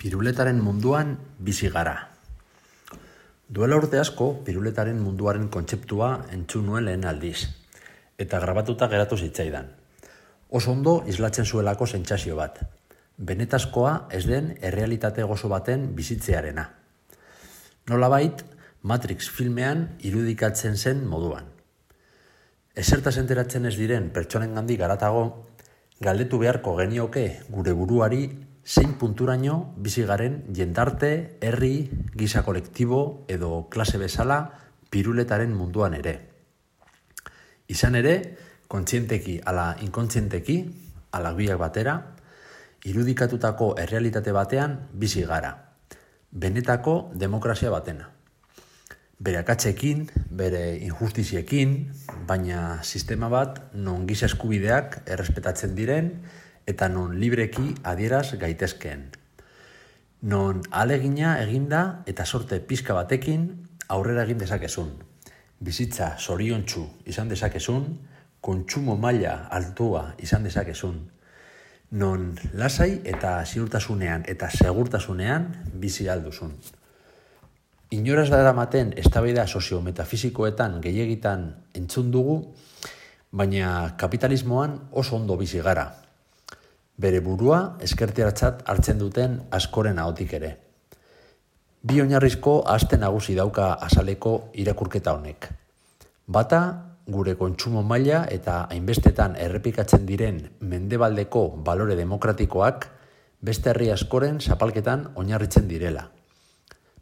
Piruletaren munduan bizi gara. Duela urte asko, piruletaren munduaren kontzeptua entzun nuen lehen aldiz, eta grabatuta geratu zitzaidan. Oso ondo islatzen zuelako sentsazio bat. Benetazkoa ez den errealitate gozo baten bizitzearena. Nolabait, Matrix filmean irudikatzen zen moduan. Ezertaz enteratzen ez diren pertsonengandik haratago, galdetu beharko genioke gure buruari zein punturaino bizi garen jendarte, herri, giza kolektibo edo klase bezala piruletaren munduan ere. Izan ere, kontzienteki ala inkontzienteki, ala biak batera, irudikatutako errealitate batean bizi gara. Benetako demokrazia batena. Bere akatsekin, bere injustiziekin, baina sistema bat non giza eskubideak errespetatzen diren eta non libreki adieraz gaitezkeen. Non ahalegina eginda eta sorte pixka batekin aurrera egin dezakezun. Bizitza zoriontsu izan dezakezun, kontsumo maila altua izan dezakezun. Non lasai eta ziurtasunean eta segurtasunean bizi alduzun. Inoraz daramaten eztabaida sozio-metafisikoetan gehiegitan entzun dugu, baina kapitalismoan oso ondo bizi gara. Bere burua eskerteratzat hartzen duten askoren ahotik ere. Bi oinarrizko aste nagusi dauka azaleko irakurketa honek. Bata, gure kontsumo maila eta hainbestetan errepikatzen diren mendebaldeko balore demokratikoak beste herri askoren zapalketan oinarritzen direla.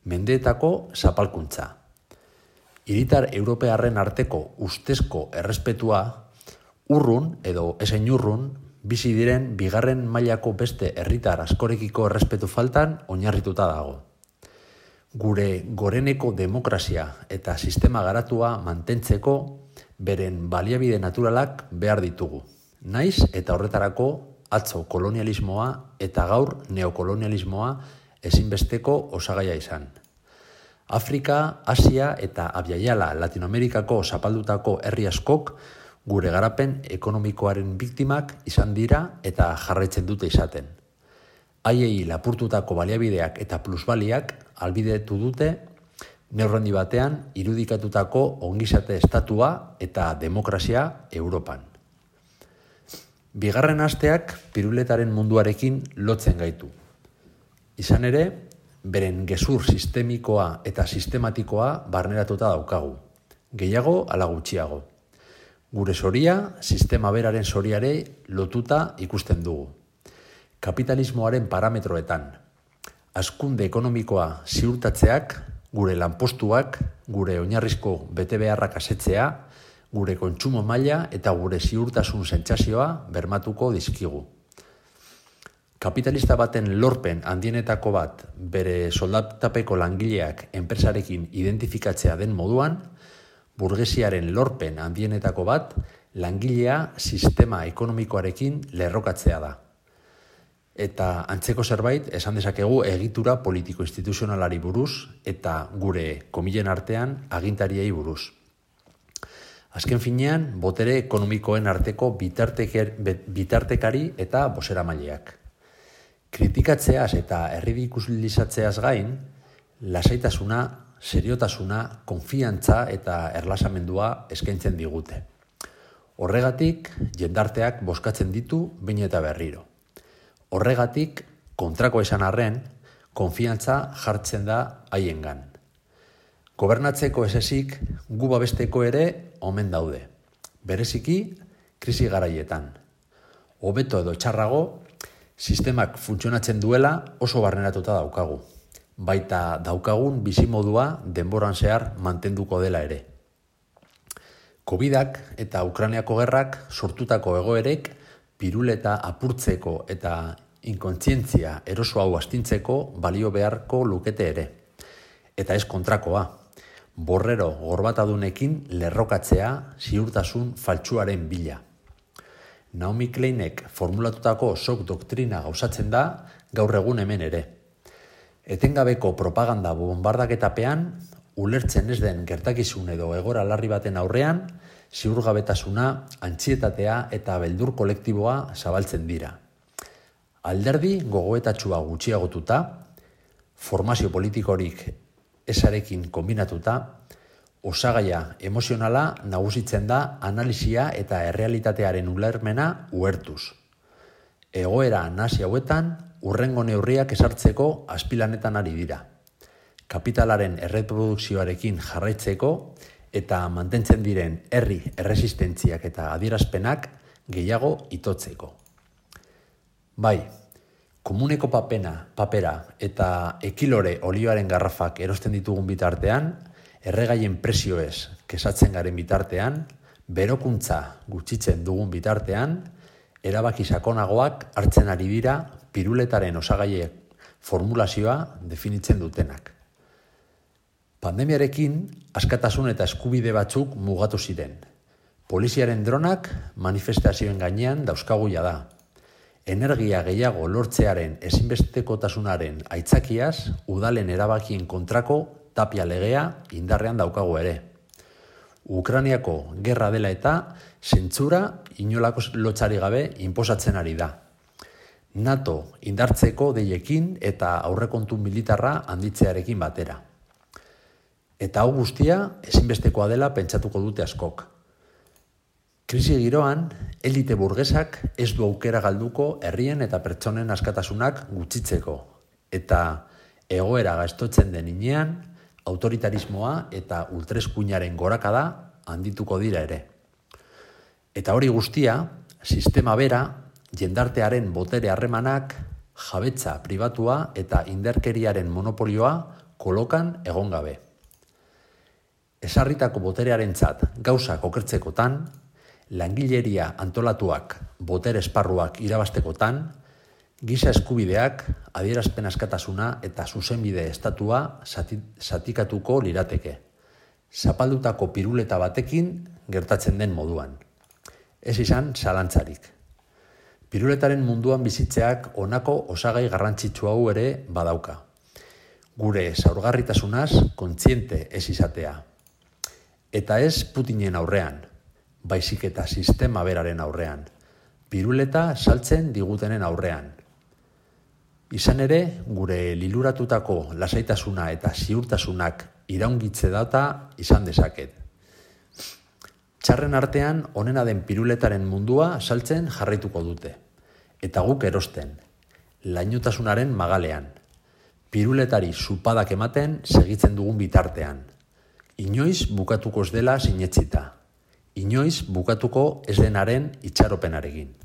Mendeetako zapalkuntza. Hiritar europearren arteko ustezko errespetua urrun edo ezein urrun bizi diren bigarren mailako beste herritar askorekiko errespetu faltan oinarrituta dago. Gure goreneko demokrazia eta sistema garatua mantentzeko beren baliabide naturalak behar ditugu. Naiz eta horretarako atzo kolonialismoa eta gaur neokolonialismoa ezinbesteko osagaia izan. Afrika, Asia eta Abiaiala Latinoamerikako zapaldutako herri askok gure garapen ekonomikoaren biktimak izan dira eta jarraitzen dute izaten. Haiei lapurtutako baliabideak eta plusbaliak ahalbidetu dute neurri batean irudikatutako ongizate estatua eta demokrazia Europan. Bigarren asteak piruletaren munduarekin lotzen gaitu. Izan ere, beren gezur sistemikoa eta sistematikoa barneratuta daukagu. Gehiago ala gutxiago. Gure zoria, sistema beraren zoriare lotuta ikusten dugu. Kapitalismoaren parametroetan. Hazkunde ekonomikoa ziurtatzeak, gure lanpostuak, gure oinarrizko betebeharrak asetzea, gure kontsumo maila eta gure ziurtasun sentsazioa bermatuko dizkigu. Kapitalista baten lorpen handienetako bat bere soldatapeko langileak enpresarekin identifikatzea den moduan, burgesiaren lorpen handienetako bat langilea sistema ekonomikoarekin lerrokatzea da. Eta antzeko zerbait esan dezakegu egitura politiko-instituzionalari buruz eta gure komilen artean agintariei buruz. Azken finean, botere ekonomikoen arteko bitartekari eta bozeramaileak. Kritikatzeaz eta erridikulizatzeaz gain, lasaitasuna, seriotasuna, konfiantza eta erlasamendua eskaintzen digute. Horregatik, jendarteak bozkatzen ditu behin eta berriro. Horregatik, kontrako esan arren, konfiantza jartzen da haiengan. Gobernatzeko esezik, gu babesteko ere omen daude. Bereziki, krisi garaietan. Hobeto edo txarrago, sistemak funtzionatzen duela oso barneratuta daukagu. Baita daukagun bizimodua denboran zehar mantenduko dela ere. Covidak eta Ukrainiako gerrak sortutako egoerek piruleta apurtzeko eta inkontzientzia eroso hau astintzeko balio beharko lukete ere. Eta ez kontrakoa. Borrero gorbatadunekin lerrokatzea ziurtasun faltsuaren bila. Naomi Kleinek formulatutako shock doktrina gauzatzen da gaur egun hemen ere. Etengabeko propaganda bombardaketapean, ulertzen ez den gertakizun edo egora larri baten aurrean, ziurgabetasuna, antsietatea eta beldur kolektiboa zabaltzen dira. Alderdi gogoetatsua gutxiagotuta, formazio politikorik ezarekin kombinatuta, osagaia emozionala nagusitzen da analisia eta errealitatearen ulermena uhertuz. Egoera nahasi hauetan, hurrengo neurriak ezartzeko azpilanetan ari dira. Kapitalaren erreprodukzioarekin jarraitzeko eta mantentzen diren herri erresistentziak eta adierazpenak gehiago itotzeko. Bai, komuneko papera eta ekilore olioaren garrafak erosten ditugun bitartean, erregaien prezioez kesatzen garen bitartean, berokuntza gutxitzen dugun bitartean, erabaki sakonagoak hartzen ari dira piruletaren osagaiek formulazioa definitzen dutenak. Pandemiarekin, askatasun eta eskubide batzuk mugatu ziren. Poliziaren dronak manifestazioen gainean dauzkagu da. Energia gehiago lortzearen ezinbestekotasunaren aitzakiaz, udalen erabakien kontrako Tapia legea indarrean daukagu ere. Ukrainiako gerra dela eta zentsura inolako lotsari gabe inposatzen ari da. NATO indartzeko deiekin eta aurrekontu militarra handitzearekin batera. Eta hau guztia ezinbestekoa dela pentsatuko dute askok. Krisi giroan, elite burgesak ez du aukera galduko herrien eta pertsonen askatasunak gutxitzeko. Eta egoera gaiztotzen den inean, autoritarismoa eta ultraeskuinaren gorakada handituko dira ere. Eta hori guztia, sistema bera, jendartearen botere harremanak, jabetza pribatua eta indarkeriaren monopolioa kolokan egon gabe. Ezarritako boterearentzat gauzak okertzekotan, langileria antolatuak botere esparruak irabaztekotan, giza eskubideak, adierazpen askatasuna eta zuzenbide estatua zatikatuko lirateke. Zapaldutako piruleta batekin gertatzen den moduan. Ez izan zalantzarik. Piruletaren munduan bizitzeak honako osagai garrantzitsu hau ere badauka. Gure zaurgarritasunaz kontziente ez izatea. Eta ez Putinen aurrean, baizik eta sistema beraren aurrean. Piruleta saltzen digutenen aurrean. Izan ere, gure liluratutako lasaitasuna eta ziurtasunak iraungitze data izan dezaket. Txarren artean, onena den piruletaren mundua saltzen jarraituko dute. Eta guk erosten, lainotasunaren magalean. Piruletari zupadak ematen segitzen dugun bitartean. Inoiz bukatuko ez dela sinetsita. Inoiz bukatuko ez denaren itxaropenarekin.